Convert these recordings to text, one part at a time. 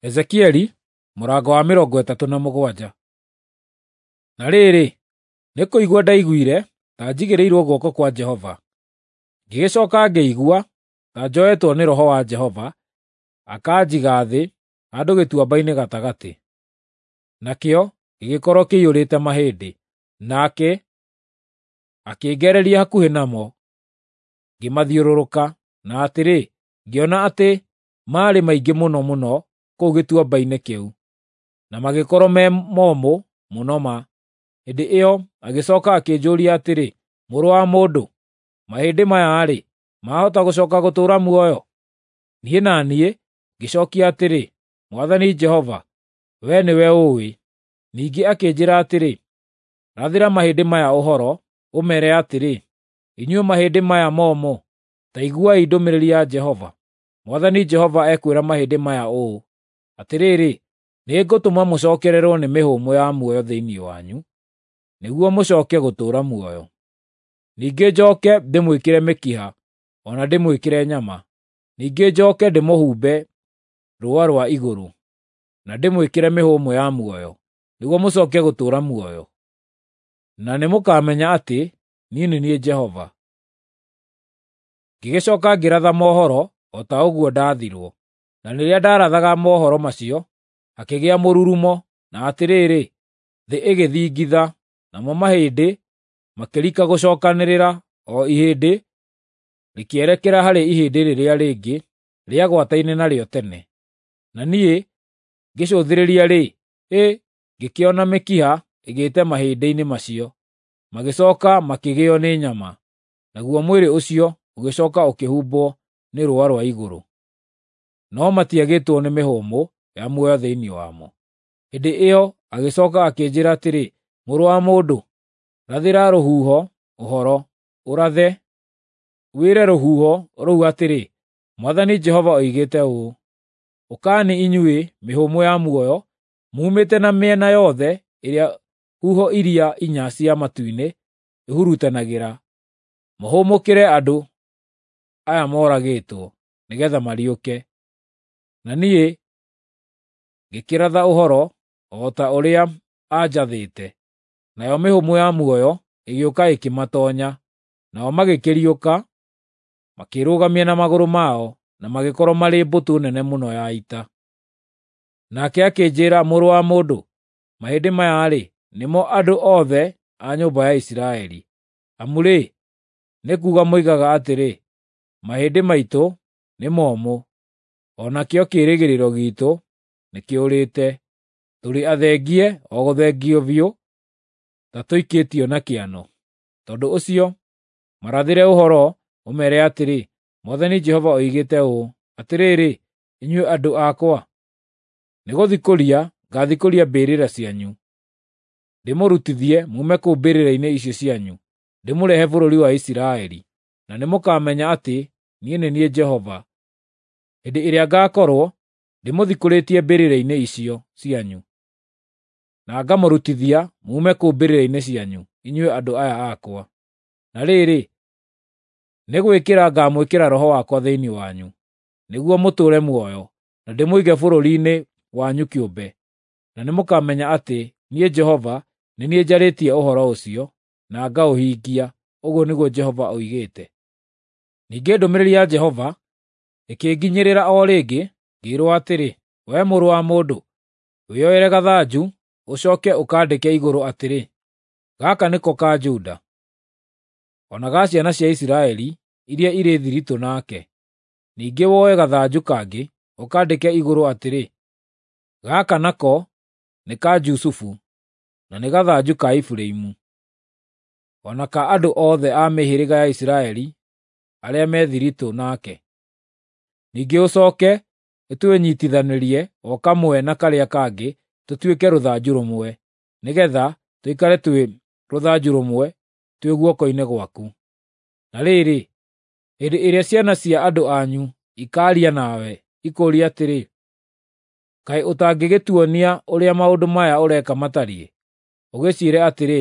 Ezekieli mũrango wa 37. Na rĩrĩ, nĩ kũigua ndaiguire ta njigĩrĩirwo guoko kwa Jehova, ngĩgĩcoka ngĩigua ta njoetwo nĩ Roho wa Jehova, akanjiga thĩ handũ gĩtuamba-inĩ gatagatĩ. Nakĩo gĩgĩkorwo kĩiyũrĩte mahĩndĩ, nake akĩngereria hakuhĩ namo, ngĩmathiũrũrũka, na atĩrĩ, ngĩona atĩ maarĩ maingĩ mũno mũno kũu gĩtuamba-inĩ kĩu, na magĩkorwo me momũ mũno ma. Hĩndĩ ĩyo agĩcooka akĩnjũũria atĩrĩ, “Mũrũ wa mũndũ, mahĩndĩ maya-rĩ, maahota gũcooka gũtũũra muoyo?” Niĩ na niĩ ngĩcookia atĩrĩ, “Mwathani Jehova, wee nĩwe ũũĩ.” Ningĩ akĩnjĩĩra atĩrĩ, “Rathĩra mahĩndĩ maya ũhoro, ũmeere atĩrĩ, ‘Inyuĩ mahĩndĩ maya momũ, ta iguai ndũmĩrĩri ya Jehova. Mwathani Jehova ekwĩra mahĩndĩ maya ũũ: Atĩrĩrĩ, nĩngũtũma mũcookererwo nĩ mĩhũmũ ya muoyo thĩinĩ wanyu, nĩguo mũcooke gũtũũra muoyo. Ningĩ njooke ndĩmwĩkĩre mĩkiha o na ndĩmwĩkĩre nyama. Ningĩ njooke ndĩmũhumbe rũũa rwa igũrũ, na ndĩmwĩkĩre mĩhũmũ ya muoyo, nĩguo mũcooke gũtũũra muoyo. Na nĩmũkamenya atĩ niĩ nĩ niĩ Jehova.” Ngĩgĩcooka ngĩratha mohoro o ta ũguo ndaathirwo. Na rĩrĩa ndaarathaga mohoro macio, hakĩgĩa mũrurumo, na atĩrĩrĩ, thĩ ĩgĩthingitha, namo mahĩndĩ makĩrika gũcookanĩrĩra, o ihĩndĩ rĩkĩerekera harĩ ihĩndĩ rĩrĩa rĩngĩ rĩagwataine narĩo tene. Na niĩ ngĩcũthĩrĩria-rĩ, hĩ, ngĩkĩona mĩkiha ĩgĩĩte mahĩndĩ-inĩ macio, magĩcooka makĩgĩo nĩ nyama, naguo mwĩrĩ ũcio ũgĩcooka ũkĩhumbwo nĩ rũũa rwa igũrũ. No matiagĩtwo nĩ mĩhũmũ ya muoyo thĩinĩ wamo. Hĩndĩ ĩyo agĩcooka akĩnjĩĩra atĩrĩ, “Mũrũ wa mũndũ, rathĩra rũhuho ũhoro, ũrathe, wĩre rũhuho rũu atĩrĩ, ‘Mwathani Jehova oigĩte ũũ: Ũkani inyuĩ mĩhũmũ ya muoyo, muumĩte na mĩena yothe ĩrĩa huho iria inya cia matu-inĩ ihurutanagĩra, mũhũmũkĩre andũ aya moragĩtwo, nĩgeetha mariũke.’ ” Na niĩ ngĩkĩratha ũhoro o ta ũrĩa aanjathĩte, nayo mĩhũmũ ya muoyo ĩgĩũka ĩkĩmatoonya, nao magĩkĩriũka, makĩĩrũgamia na magũrũ mao, na magĩkorwo marĩ mbũtũ nene mũno ya ita. Nake akĩnjĩĩra, “Mũrũ wa mũndũ, mahĩndĩ maya-rĩ, nĩmo andũ othe a nyũmba ya Isiraeli. Amu-rĩ, nĩ kuuga moigaga atĩrĩ, ‘Mahĩndĩ maitũ nĩ momũ, o nakĩo kĩĩrĩgĩrĩro giitũ nĩkĩũrĩte. Tũrĩ athengie o gũthengio biũ ta tũikĩtio na kĩano.’ Tondũ ũcio, marathĩre ũhoro, ũmeere atĩrĩ, ‘Mwathani Jehova oigĩte ũũ: Atĩrĩrĩ, inyuĩ andũ akwa, nĩgũthikũria ngaathikũria mbĩrĩra cianyu, ndĩmũrutithie muume kũu mbĩrĩra-inĩ icio cianyu, ndĩmũrehe bũrũri wa Isiraeli. Na nĩmũkamenya atĩ niĩ nĩ niĩ Jehova, hĩndĩ ĩrĩa ngaakorwo ndĩmũthikũrĩtie mbĩrĩra-inĩ icio cianyu, na ngamũrutithia muume kũu mbĩrĩra-inĩ cianyu, inyuĩ andũ aya akwa. Na rĩrĩ, nĩ gwĩkĩra ngaamwĩkĩra Roho wakwa thĩinĩ wanyu, nĩguo mũtũũre muoyo, na ndĩmũige bũrũri-inĩ wanyu kĩũmbe. Na nĩmũkamenya atĩ niĩ Jehova nĩ niĩ njarĩtie ũhoro ũcio, na ngaũhingia, ũguo nĩguo Jehova oigĩte.” Ningĩ ndũmĩrĩri ya Jehova ĩkĩnginyĩrĩra o rĩngĩ, ngĩĩrwo atĩrĩ, “Wee mũrũ wa mũndũ, wĩyoere gathanju, ũcooke ũkandĩke igũrũ atĩrĩ, ‘Gaka nĩko ka Juda, o na ga ciana cia Isiraeli iria irĩ thiritũ nake.’ Ningĩ woe gathanju kangĩ, ũkandĩke igũrũ atĩrĩ, ‘Gaka nako nĩ ka Jusufu, na nĩ gathanju ka Efiraimu, o na ka andũ othe a mĩhĩrĩga ya Isiraeli arĩa me thiritũ nake.’ Ningĩ ũcooke ũtũnyiitithanĩrie o kamwe na karĩa kangĩ tũtuĩke rũthanju rũmwe, nĩgeetha tũikare twĩ rũthanju rũmwe twĩ guoko-inĩ gwaku. Na rĩrĩ, hĩndĩ ĩrĩa ciana cia andũ anyu ikaaria nawe ikũũrie atĩrĩ, ‘Kaĩ ũtangĩgĩtuonia ũrĩa maũndũ maya ũreka matariĩ?’ Ũgĩciĩre atĩrĩ,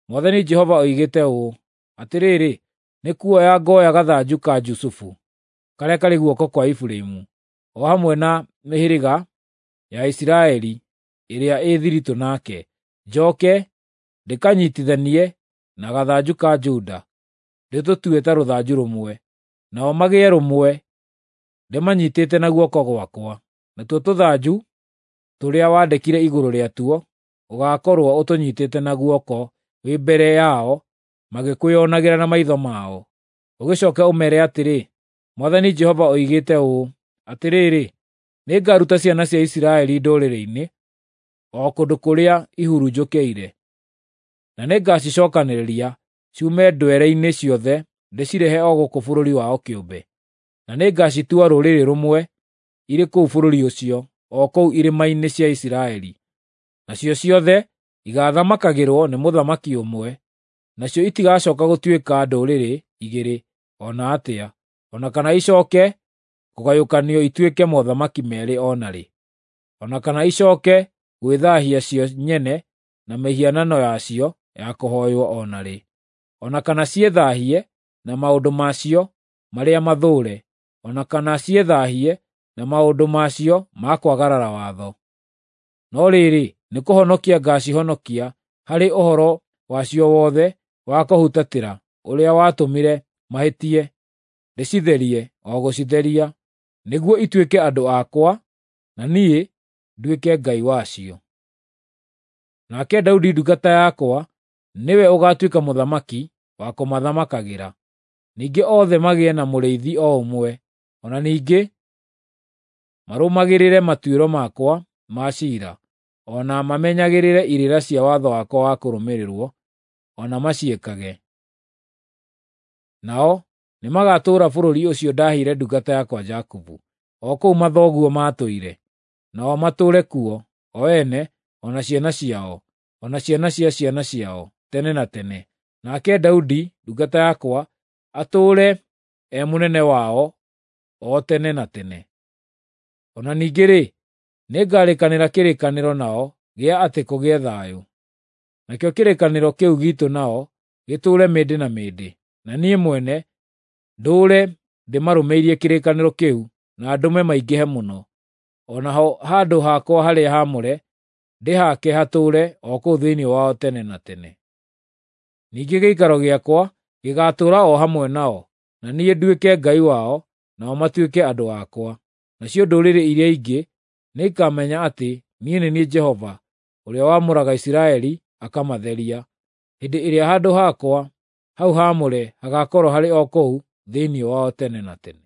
‘Mwathani Jehova oigĩte ũũ: Atĩrĩrĩ, nĩkuoya ngoya gathanju ka Jusufu, karĩa karĩ guoko kwa Efiraimu, o hamwe na mĩhĩrĩga ya Isiraeli ĩrĩa ĩ thiritũ nake, njoke ndĩkanyiitithanie na gathanju ka Juda, ndĩtũtue ta rũthanju rũmwe, nao magĩe rũmwe ndĩmanyiitĩte na guoko gwakwa. Natuo tũthanju tũrĩa wandĩkire igũrũ rĩatuo ũgaakorwo ũtũnyiitĩte na guoko wĩ mbere yao magĩkwĩonagĩra na maitho mao. Ũgĩcooke ũmeere atĩrĩ, ‘Mwathani Jehova oigĩte ũũ: Atĩrĩrĩ, nĩngaruta ciana cia Isiraeli ndũrĩrĩ-inĩ, o kũndũ kũrĩa ihurunjũkĩire, na nĩngacicookanĩrĩria ciume ndwere-inĩ ciothe ndĩcirehe o gũkũ bũrũri wao kĩũmbe. Na nĩngacitua rũrĩrĩ rũmwe irĩ kũu bũrũri ũcio, o kũu irĩma-inĩ cia Isiraeli. Nacio ciothe igaathamakagĩrwo nĩ mũthamaki ũmwe, nacio itigacooka gũtuĩka ndũrĩrĩ igĩrĩ o na atĩa, o na kana icooke kũgayũkanio ituĩke mothamaki meerĩ o na rĩ, o na kana icooke gwĩthaahia cio nyene na mĩhianano yacio ya kũhooywo o na rĩ, o na kana ciĩthaahie na maũndũ macio marĩa mathũũre, o na kana ciĩthaahie na maũndũ macio ma kwagarara watho. No rĩrĩ, nĩkũhonokia ngaacihonokia harĩ ũhoro wacio wothe wa kũhutatĩra ũrĩa watũmire mahĩtie, ndĩcitherie o gũcitheria, nĩguo ituĩke andũ akwa, na niĩ nduĩke Ngai wacio. Nake Daudi ndungata yakwa nĩwe ũgaatuĩka mũthamaki wa kũmathamakagĩra. Ningĩ othe magĩe na mũrĩithi o ũmwe, o na ningĩ marũmagĩrĩre matuĩro makwa ma ciira, o na mamenyagĩrĩre irĩra cia watho wakwa wa kũrũmĩrĩrwo, o na maciĩkage. Nao nĩmagatũũra bũrũri ũcio ndaheire ndungata yakwa Jakubu, o kũu mathoguo maatũire. Nao matũũre kuo, o ene, o na ciana ciao, o na ciana cia ciana ciao, tene na tene. Nake Daudi ndungata yakwa atũũre e mũnene wao o tene na tene. O na ningĩ-rĩ, nĩngarĩkanĩra kĩrĩkanĩro nao gĩa atĩ kũgĩe thayũ. Nakĩo kĩrĩkanĩro kĩu giitũ nao gĩtũũre mĩndĩ na mĩndĩ, na niĩ mwene ndũũre ndĩmarũmĩirie kĩrĩkanĩro kĩu na ndũme maingĩhe mũno. O naho handũ hakwa harĩa haamũre ndĩhaake hatũũre o kũu thĩinĩ wao tene na tene. Ningĩ gĩikaro gĩakwa gĩgaatũũra o hamwe nao, na niĩ nduĩke Ngai wao, nao matuĩke andũ akwa. Nacio ndũrĩrĩ iria ingĩ nĩikamenya atĩ niĩ nĩ niĩ Jehova, ũrĩa wamũraga Isiraeli akamatheria, hĩndĩ ĩrĩa handũ hakwa hau haamũre hagaakorwo harĩ o kũu thĩinĩ wao tene na tene.